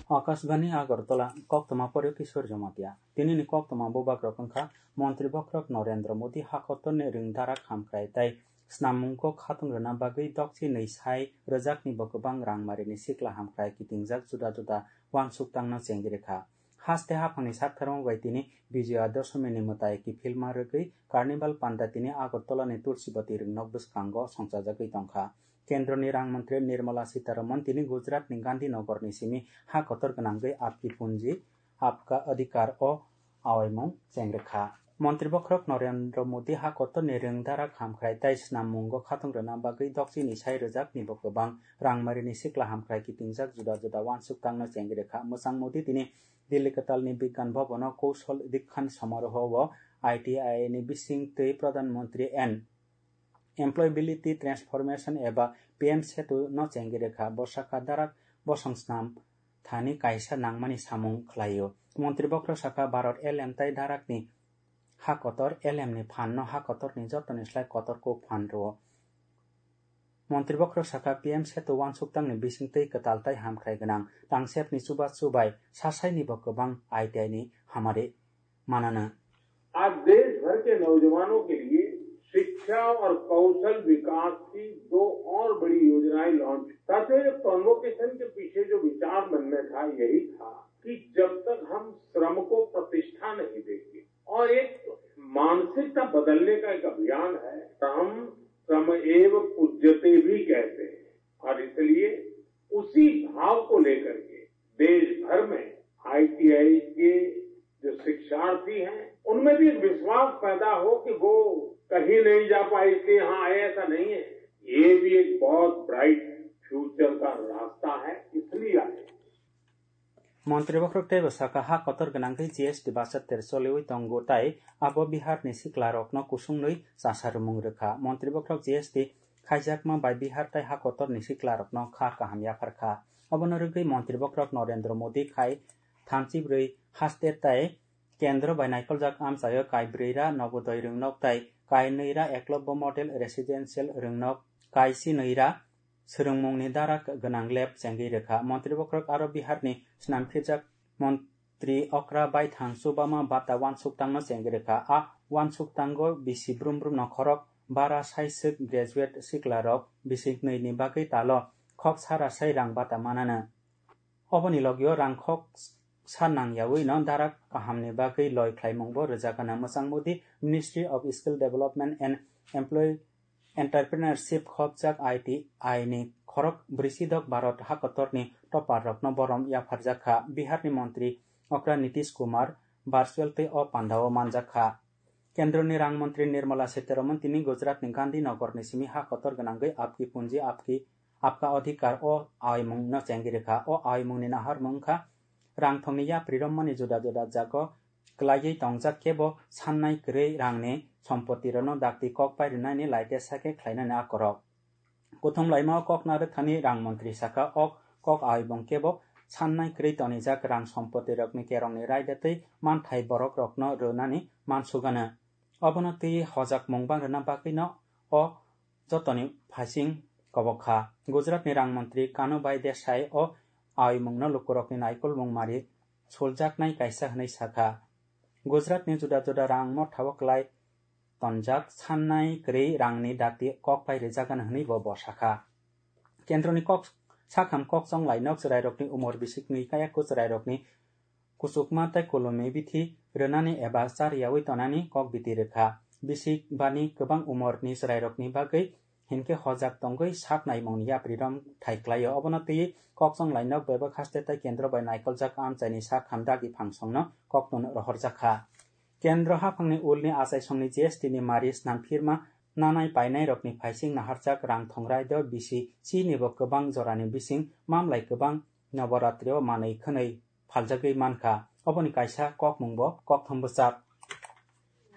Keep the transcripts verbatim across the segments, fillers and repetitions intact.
Akashbani Agartala, koktwma poryo Kishore Jamatia. Tinini koktwma bubagrok wngkha Montri Bokhorok Narendra Modi hakotorni rwngdarak hamkrai tei snammungo khatung rwna bagwi dokchi nwi sai rwjakni bo kwbang rangmarini sikla hamkrai kitingjak juda juda uansuk tangno chengwi rwkha. Haste haphangni saktharma bai tini Bijoya Dosomini mwtai kiphilma rwgwi Carnival Panda tini Agartalani Tulsibati rwngnok bwskango songchajagwi tongkha. Kendroni rang mantri Nirmala Sitharaman tini Gujaratni Gandhinagarni simi ha kotor gwnangwi Apki Punji, Apka Adhikar o awaimung chengrwkha. Montri Bokhorok Narendra Modi ha kotorni rwngdarak hamkrai tei snammungo khatung rwna bagwi dokchini sai rwjakni bo kwbang rangmarini sikla hamkrai kitingjak juda juda uansuk tangno chengwi rwkha. Mwchang Modi tini Delhi kwtalni Bigyan Bhavan o Kaushal Dikshant Samaroho o I T I ni bising twi Pradhan Mantri and Employability Transformation eba P M Setu no chengwi rwkha. Bo sakha darak bosong snam thani kaisa nangmani samung khlaio. Montri Bokhorok sakha Bharat L M tai darakni ha kotor L M ni phan no ha kotorni jotoni slai kotor kuk phan rwo. Montri Bokhorok sakha P M Setu uansuk tangni bising twi kwtal tai hamkrai gwnang tangsepni chubachu bai sasaini bo kwbang I T I ni hamari manana. आज देश भर के नौजवानों के लिए शिक्षा और कौशल विकास की दो और बड़ी योजनाएं लॉन्च। साथियों, ये कॉन्वोकेशन के पीछे जो विचार मन में था, यही था कि जब तक हम श्रम को प्रतिष्ठा नहीं देंगे और एक मानसिकता बदलने का एक अभियान है, तो हम श्रम एव पूज्यते भी कहते हैं और इसलिए उसी भाव को लेकर के देश भर में I T I के जो शिक्षार्थी हैं, उनमें भी एक विश्वास पैदा हो कि वो कहीं नहीं जा पाए इसलिए यहाँ आए, ऐसा नहीं है। ये भी एक बहुत ब्राइट फ्यूचर का रास्ता है, इसलिए आए। Montri Bokhorok teibo sakha ha kotor gwnangwi G S T bachater choliwi tongo tai abo Biharni siklarokno kusungwi chasarwmung rwkha. Montri Bokhorok G S T khaijakma bai Bihar tai ha kotorni siklarokno kha kaham yapharkha. Obono rwgwi Montri Bokhorok Narendra Modi khai thamchibrwi haste tai kendro bai naikoljak amchaio kai brwi ra Nobodoi rwngnok tai kai nwi ra Eklobbo Model Residential rwngnok kai si nwi ra swrwngmungni dara gwnang lab chengwi rwkha. Montri Bokhorok aro Biharni snamphirjak Montri okra baithang chubama bata uansuk tangno chengwi rwkha. A uansuk tango bisi brum brum no khorok bara saiswk graduate siklarok bisik nwi ni bagwi talo khok sara sai rang bata manana. Oboni logio rang khok sa nang yaui no dara kahamni bagwi loi khlaimung bo rwjak gana. Mwchang Modi Ministry of Skill Development and Employee Entrepreneurship khopjak I T I ni khorok brwisidok Bharat hakotorni topper rokno borom yapharjakha. Biharni montri okra Nitish Kumar virtual tei o pandao manjakha. Kendroni rang montri Nirmala Sitharaman tini Gujaratni Gandhinagarni simi ha kotor gwnangwi Apki Punji Apki Apka Adhikar o aimungno chengwi rwkha. O aimungni naharmung wngkha rang thongni yapri romani juda juda jago kwlaiwi tongjak kebo sannai kwrwi rangni sompotirokno dakti kok pai rwnani laite sake khlainani akorok. Kuthum laimao kok narwkthani rang montri saka o kok aibong kebo sannai kwrwi tonijak rang sompotirokni kerongni raida tei manthai borokrokno rwnani mansugano. Obono twi hojakmung bang rwna bagwino o jotoni phaising kobok kha. Gujaratni rang montri Kanubai Desai o aimungno lukurokni naikolmung mari suljaknai kaisa hwnwi sakha. Gujaratni juda juda rang mothao kwlai tonjak sannai kwrwi rangni dakti kok pai rwjagano hwnwi bo bo sakha. Kendroni kok sakham kok chonglai nok chwrairokni umor bisik nwi kaya kwchwrairokni kuchukma tei kolomni bithi rwnani eba chariyaui tonani kok biti rwkha. Bisik bani kwbang umorni chwrairokni bagwi hinkhe hojak tongwi sak naimungni yapri rom thai klaio. Obono twiwi kok chonglai nok bebak haste tei kendro bai naikoljak amchaini sak hamdagi phangsongno koktun rohorjakha. Kendro haphangni ulni achaisongni G S T ni mari snamphirma nanai painairokni phaising naharjak rang thongrai do bisi chini bo kwbang jorani bising mamlai kwbang Noboratri o manwi khwnwi phaljagwi mankha. Oboni kaisa kokmung bo kokthum bwchak.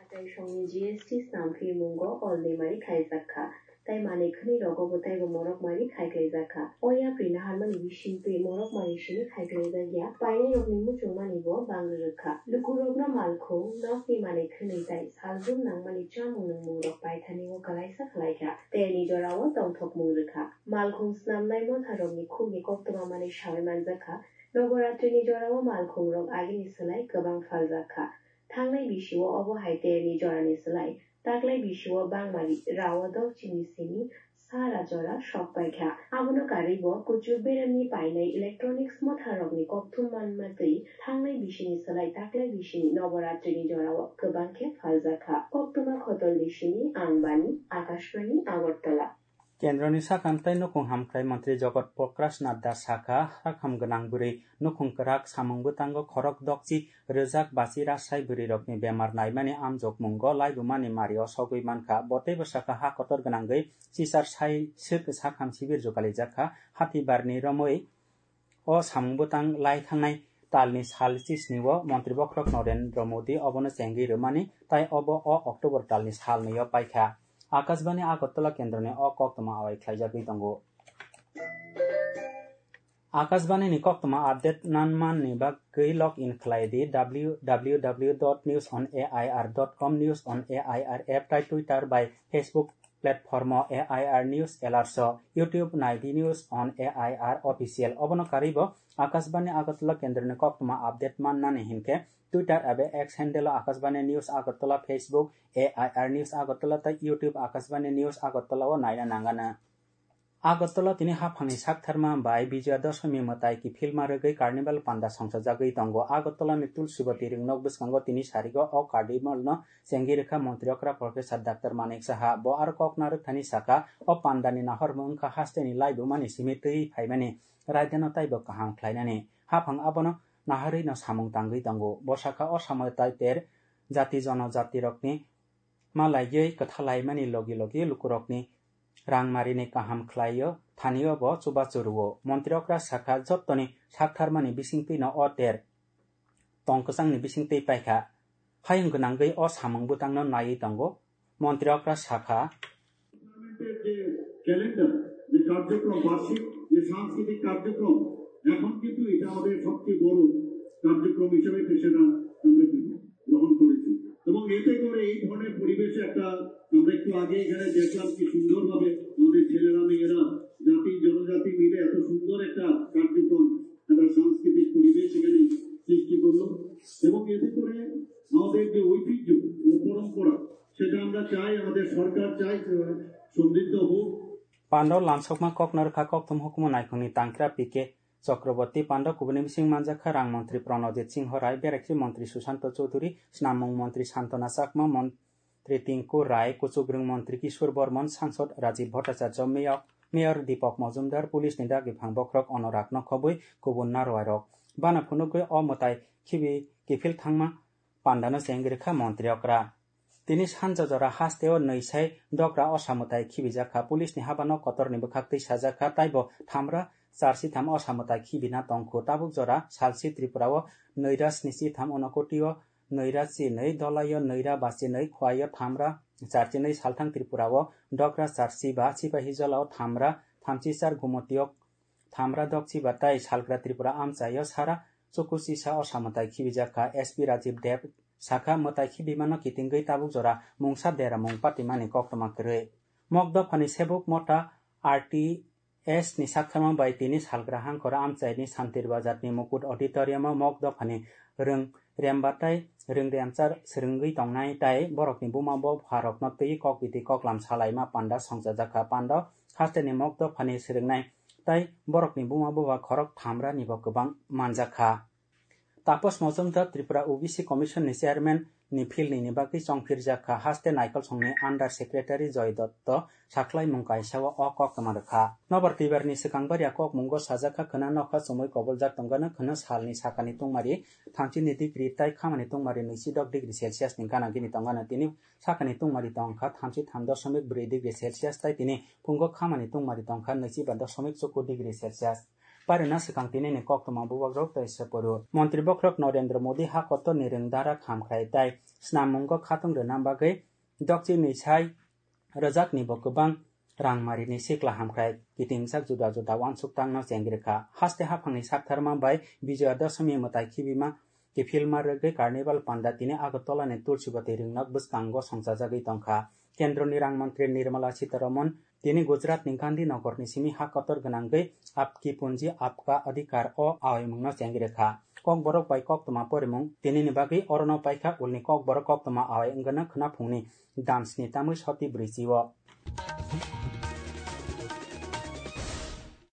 Achaisongni G S T snamphirmungo olni mari khlaijak kha. tei manwi khwnwi rogo bo teibo morok mari khai khlaijak kha. O yapri naharmani bisingtwi morok mari simi khai khlaijak ya, painairokni muchungmani bo bangri rwkha. Lukurokno malkhung, nokni manwi khwnwi tei salbrum nangmani chamung nungmungrok paithani o kwlaisa khlaikha, terni jorao tongthokmung rwkha. Malkhung snamnai motharokni khukni koktwma manwi sawi manjak kha, Noboratrini jorao malkhungrok agini slai kwbang phaljak kha. Thangnai bisio obo hai terni jorani slai taklai bisio bangmari rao dokchini simi sara jora sok paikha. Abono karwibo kuchuk beremni painai electronics motharokni kokthum manma twi thangnai bisini slai taklai bisini Noboratrini jorao kwbang khe phaljak kha. Koktwma khotol bisini ang bani Akashbani Agartala. Kendroni sakha tei nukhung hamkrai montri Jogot Prakash Nadda sakha, hakham gwnang bwrwi nukhung kwrak samung bwtango khorok dokchi rwjak bachi rasai bwrwirokni bemar naimani amjokmungo laibumani mario sogwi mankha. Bo teibo sakha, ha kotor gwnangwi chichar sai swk sakham sibir jukalijak kha. Hatibarni romwi o samung bwtang lai thangnai talni sal chisni o montri bokhorok Narendra Modi obono chengwi rwmani, tai obo o October talni sal nwi o paikha. Akashbani Agartala kendroni o koktwma awai khlaijagwi tongo. Akashbani ni koktwma update nanmani bagwi log in khlai di W W W dot news on A I R dot com, News on A I R app tai Twitter bai Facebook platform o A I R News Alerts o, YouTube nai di News on A I R Official. Obono karwi bo Akashbani Agartala kendroni koktwma update mannani hinkhe Twitter abo X handle o Akashbani News Agartala, Facebook A I R News Agartala tei YouTube Akashbani News Agartala o naina nangano. Agartala tini haphangni saktharma bai Bijoya Dashami mwtai kiphilma rwgwi Carnival panda songchajagwi tongo. Agartala ni Tulsibati ringnok bwskango tini sarigo o Carnival no chengwi rwkha montri okra Professor Doctor Manik Saha. Bo aro kok narwkthani saka, o pandani nahormung wngkha hasteni laibumani simi twi phaimani raidano taibo kaham khlainani. Haphang abono naharwi no samung tangwi tongo. Bo sakha, o samung tai ter jati jonojatirokni ma laiwi kwthalaimani logi logi lukurokni rangmarini kaham khlaio, thanio bo chubachu rwo. Montri okra sakha, jottoni saktharmani bisingtwino o ter tong kwchangni bisingtwi paikha. Hayung gwnangwi o samung bwtangno naiwi tongo. Montri okra sakha, পার্লামেন্টের যে ক্যালেন্ডার, যে কার্যক্রম, বার্ষিক যে সাংস্কৃতিক কার্যক্রম, এখন কিন্তু এটা আমাদের সবচেয়ে বড় কার্যক্রম হিসেবে সেটা আমরা গ্রহণ করেছি। এবং এতে করে এই ধরনের পরিবেশে একটা, আমরা একটু আগে এখানে দেখলাম কি সুন্দরভাবে আমাদের ছেলেরা মেয়েরা জাতি জনজাতি মিলে এত সুন্দর একটা কার্যক্রম, একটা সাংস্কৃতিক পরিবেশ এখানে সৃষ্টি করলো। এবং এতে করে আমাদের যে ঐতিহ্য ও পরম্পরা, সেটা আমরা চাই, আমাদের সরকার চাই, সেভাবে সমৃদ্ধ হোক। Pando lamsokma kok narwkha kokthum hukumu naikhungni tangkra P K Chakraborty, pando kubuni bising manjakha rang montri Pranojit Singho Rai, berekhe montri Sushanta Chowdhury, snamung montri Santana Chakma, montri Tinku Rai, kuchukrwng montri Kishore Bormon, sangsod Rajiv Bhattacharya, mayor, mayor Deepak Majumdar, police ni dagi phang bokhorok Anurag Nokhobwi, kubun narwai rok. Bana phunugwi o mwtai khibi kiphil thangma pandano chengwi rwkha montri okra. Tini sanja jora hasteo nwi sai dogra osa mwtai khibijakha. Police ni habano kotorni bwkhaktwi sajakha, taibo thamra charsi tham osa mwtai khibina tongkhu. Tabuk jora salsi Tripura o nwi ra sni si tham, Unakoti o nwi ra chi nwi, Dholai o nwi ra ba chi nwi, Khowai o thamra charsi nwi, salthang Tripura o dogra charsi ba, Sipahijala o thamra thamchi char, Gumoti o thamra dokchi ba tai salgra Tripura amchai o sara chukuchisa osa mwtai khibijakha. S P Rajiv Deb sakha, mwtai khibimano kitingwi tabuk jora mungsa deramung patimani koktwma kwrwi. Mok dophani Sebuk Motha R T S ni saktharma bai tini salgra hangkhora amchaini Santir Bazar ni Mukut Auditorium o Mok dophani rwng rembatai rwng remchar swrwngwi tongnai tai borokni buma bupharokno twi kok biti koklam salaima panda songchajakha. Panda hasteni Mok dophani swrwngnai tai borokni buma buba khorok thamra nibo kwbang manjakha. Tapas Majumdar Tripura O B C Commission ni chairman ni philni ni bagwi chongphirjakha, haste Naikolsongni under secretary Joy Dotto sakhlaimung kaisa o, o koktwma rwkha. Nobar twibarni swkang baria kokmungo sajakha, khwna nokha chumui koboljak tongano, khwna salni sakani tungmari thamchi ni degree tai khamani tungmari nwi si dok degree Celsius ni gana gini tongano, tini sakani tungmari tongkha thamchi tham dosomik bwrwi degree Celsius tai tini phungo khamani tungmari tongkha nwi si ba dosomik chukur degree Celsius. Parina swkang tinini koktwma bubagrok tei se poro. Montri bokhorok Narendra Modi ha kotorni rwngdara khamkhrai tai snammungo khatung rwna bagwi dokchini sai rwjakni bo kwbang Rangmarini sikla hamkrai kitingjak juda juda uansuk tangno chengri kha. Haste haphangni saktharma bai Bijoya Dashami mwtai khibima kiphilma rwgwi Carnival Panda tini Agartala ni Tulsibati ringnak bwskango songchajagwi tongkha. Kendroni rang mantri Nirmala Sitharaman tini Gujarat ni Gandhinagar ni simi ha kotor gwnangwi Aapki Punji Aapka Adhikar o awaimungno chengri kha. Kokborok bai koktwma porimung tinini bagwi orono paikha ulni Kokborok koktwma awai wngna khwnaphungni dan sni tamwi soti brwichi o.